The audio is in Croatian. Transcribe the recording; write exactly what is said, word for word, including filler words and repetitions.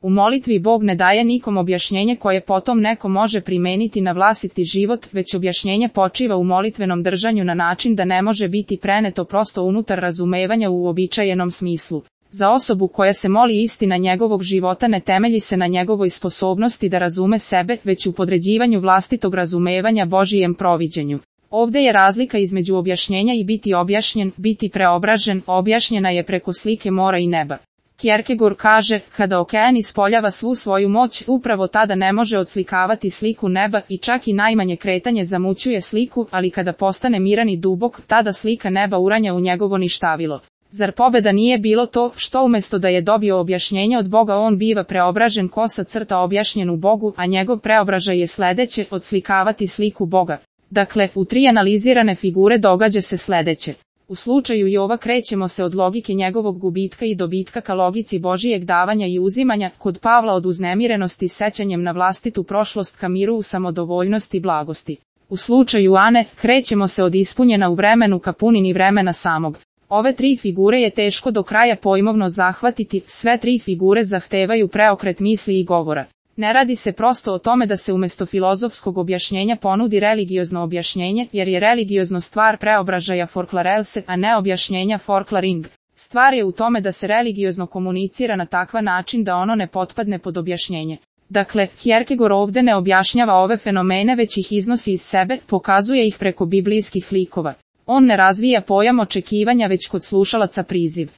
U molitvi Bog ne daje nikom objašnjenje koje potom neko može primeniti na vlastiti život, već objašnjenje počiva u molitvenom držanju na način da ne može biti preneto prosto unutar razumevanja u uobičajenom smislu. Za osobu koja se moli istina njegovog života ne temelji se na njegovoj sposobnosti da razume sebe, već u podređivanju vlastitog razumevanja Božijem proviđenju. Ovdje je razlika između objašnjenja i biti objašnjen, biti preobražen, objašnjena je preko slike mora i neba. Kierkegaard kaže, kada okean ispoljava svu svoju moć, upravo tada ne može odslikavati sliku neba i čak i najmanje kretanje zamućuje sliku, ali kada postane miran i dubok, tada slika neba uranja u njegovo ništavilo. Zar pobeda nije bilo to, što umjesto da je dobio objašnjenje od Boga on biva preobražen kosa crta objašnjen u Bogu, a njegov preobražaj je sledeće, odslikavati sliku Boga. Dakle, u tri analizirane figure događa se sledeće. U slučaju Jova krećemo se od logike njegovog gubitka i dobitka ka logici Božijeg davanja i uzimanja, kod Pavla od uznemirenosti sećanjem na vlastitu prošlost ka miru u samodovoljnosti i blagosti. U slučaju Ane, krećemo se od ispunjena u vremenu ka punini vremena samog. Ove tri figure je teško do kraja pojmovno zahvatiti, sve tri figure zahtevaju preokret misli i govora. Ne radi se prosto o tome da se umjesto filozofskog objašnjenja ponudi religiozno objašnjenje, jer je religiozno stvar preobražaja forklarelse, a ne objašnjenja forklaring. Stvar je u tome da se religiozno komunicira na takva način da ono ne potpadne pod objašnjenje. Dakle, Kierkegaard ovdje ne objašnjava ove fenomene već ih iznosi iz sebe, pokazuje ih preko biblijskih likova. On ne razvija pojam očekivanja već kod slušalaca priziv.